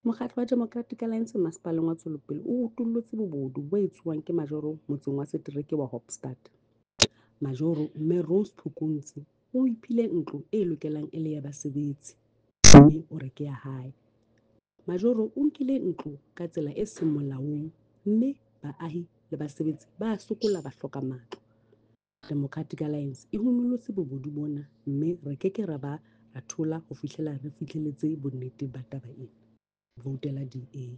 Mokgatlo wa Democratic Alliance Masepaleng wa Tswelopele o utullotse bobodu bo etsuwang ke majoro motseng wa setereke wa Hoopstad. Majoro Mme Rose Phukuntsi o iphile ntlo e lokelang e le ya basebetsi, mme o re ke ya hae. Majoro o nkile ntlo ka tsela e seng molaong mme baahi le basebetsi ba sokola ba hloka matlo. Democratic Alliance e hunollotse bobodu bona mme re keke ra ba ra thola ho fihlela re fihlelletse bonnete ba taba ena. Voutela DA.